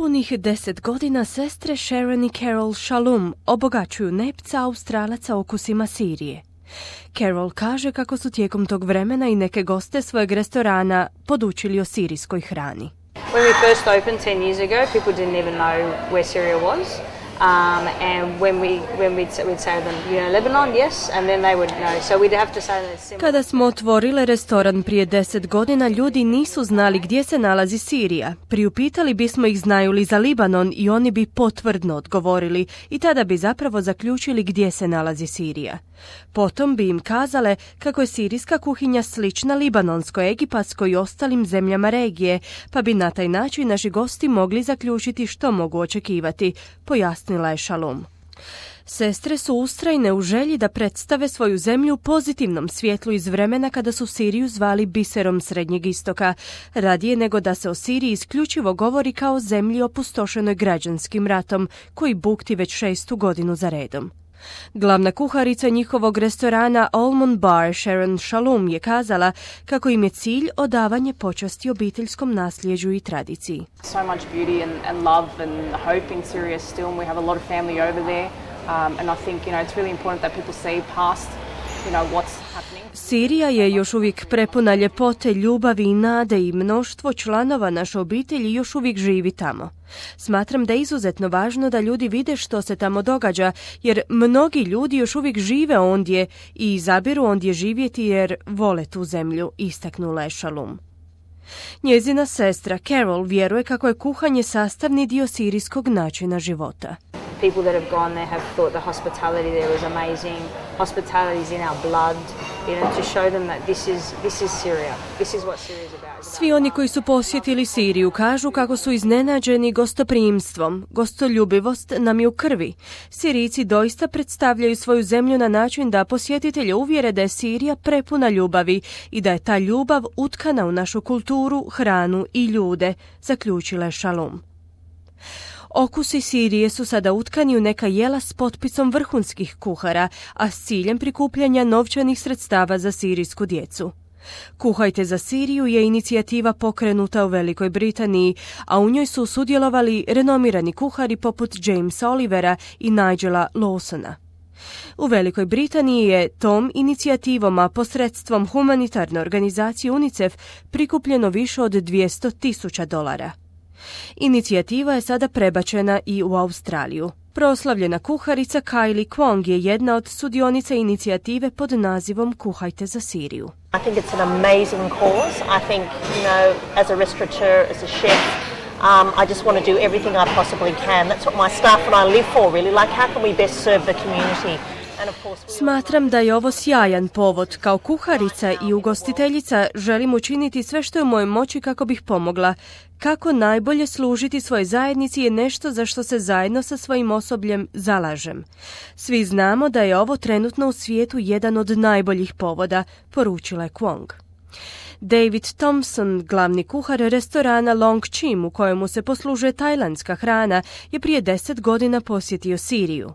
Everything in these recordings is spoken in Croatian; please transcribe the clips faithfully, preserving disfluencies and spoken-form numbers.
Punih deset godina sestre Sharon i Carol Shalom obogaćuju nepca Australaca okusima Sirije. Carol kaže kako su tijekom tog vremena i neke goste svojeg restorana podučili o sirijskoj hrani. When we first opened ten years ago, people didn't even know where Syria was. Um, and when we when we'd, we'd say to them, you know, Lebanon, yes, and then they would know. So we'd have to say that it's similar. Kada smo otvorile restoran prije deset godina, ljudi nisu znali gdje se nalazi Sirija. Priupitali bismo ih znaju li za Libanon i oni bi potvrdno odgovorili i tada bi zapravo zaključili gdje se nalazi Sirija. Potom bi im kazale kako je sirijska kuhinja slična libanonskoj, egipatskoj i ostalim zemljama regije, pa bi na taj način naši gosti mogli zaključiti što mogu očekivati, pojasnila je Shalom. Sestre su ustrajne u želji da predstave svoju zemlju u pozitivnom svjetlu iz vremena kada su Siriju zvali biserom Srednjeg istoka, radije nego da se o Siriji isključivo govori kao zemlji opustošenoj građanskim ratom, koji bukti već šestu godinu za redom. Glavna kuharica njihovog restorana Almond Bar, Sharon Shalom, je kazala kako im je cilj odavanje počasti obiteljskom nasljeđu i tradiciji. So much beauty and, and love and hope in Syria still, and we have a lot of family over there. Um, and I think, you know, it's really important that people see past, you know, what's happening. Sirija je još uvijek prepuna ljepote, ljubavi i nade i mnoštvo članova naše obitelji još uvijek živi tamo. Smatram da je izuzetno važno da ljudi vide što se tamo događa, jer mnogi ljudi još uvijek žive ondje i izabiru ondje živjeti jer vole tu zemlju, istaknula je Shalom. Njezina sestra Carol vjeruje kako je kuhanje sastavni dio sirijskog načina života. People that have gone there have thought the hospitality there was amazing. Hospitality is in our blood, you know, to show them that this is this is Syria. This is what Syria is about. Svi oni koji su posjetili Siriju kažu kako su iznenađeni gostoprimstvom. Gostoljubivost nam je u krvi. Sirijci doista predstavljaju svoju zemlju na način da posjetitelje uvjere da je Sirija prepuna ljubavi i da je ta ljubav utkana u našu kulturu, hranu i ljude, zaključila je Shalom. Okusi Sirije su sada utkani u neka jela s potpisom vrhunskih kuhara, a s ciljem prikupljanja novčanih sredstava za sirijsku djecu. Kuhajte za Siriju je inicijativa pokrenuta u Velikoj Britaniji, a u njoj su sudjelovali renomirani kuhari poput Jamesa Olivera i Nigela Lawsona. U Velikoj Britaniji je tom inicijativom, a posredstvom humanitarne organizacije UNICEF, prikupljeno više od dvjesto tisuća dolara. Inicijativa je sada prebačena i u Australiju. Proslavljena kuharica Kylie Kwong je jedna od sudionica inicijative pod nazivom Kuhajte za Siriju. I think it's an amazing cause. I think, you know, as a restaurateur, as a chef, um, I just want to do everything I possibly can. That's what my staff and I live for, really. Like, how can we best serve the community? Smatram da je ovo sjajan povod. Kao kuharica i ugostiteljica želim učiniti sve što je u mojoj moći kako bih pomogla. Kako najbolje služiti svojoj zajednici je nešto za što se zajedno sa svojim osobljem zalažem. Svi znamo da je ovo trenutno u svijetu jedan od najboljih povoda, poručila je Kwong. David Thompson, glavni kuhar restorana Long Chim u kojemu se poslužuje tajlandska hrana, je prije deset godina posjetio Siriju.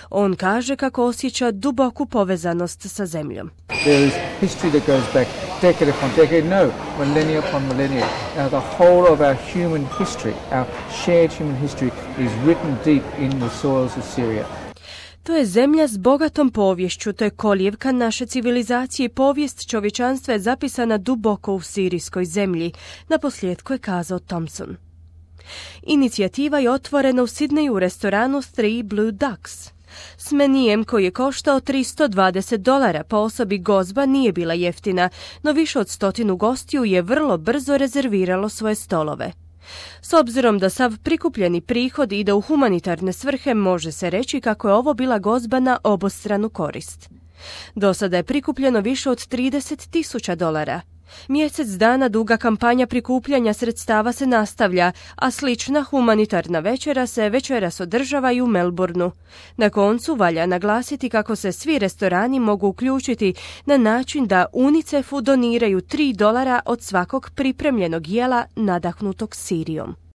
On kaže kako osjeća duboku povezanost sa zemljom. There is history that goes back decade upon decade, no, millennia upon millennia. Now the whole of our human history, our shared human history is written deep in the soils of Syria. To je zemlja s bogatom poviješću, to je kolijevka naše civilizacije i povijest čovječanstva je zapisana duboko u sirijskoj zemlji, naposljetku je kazao Thompson. Inicijativa je otvorena u Sidneju u restoranu Three Blue Ducks. S menijem koji je koštao tristo dvadeset dolara po osobi gozba nije bila jeftina, no više od stotinu gostiju je vrlo brzo rezerviralo svoje stolove. S obzirom da sav prikupljeni prihod ide u humanitarne svrhe, može se reći kako je ovo bila gozba na obostranu korist. Do sada je prikupljeno više od trideset tisuća dolara. Mjesec dana duga kampanja prikupljanja sredstava se nastavlja, a slična humanitarna večera se večeras održava i u Melbourneu. Na koncu valja naglasiti kako se svi restorani mogu uključiti na način da UNICEF-u doniraju tri dolara od svakog pripremljenog jela nadahnutog Sirijom.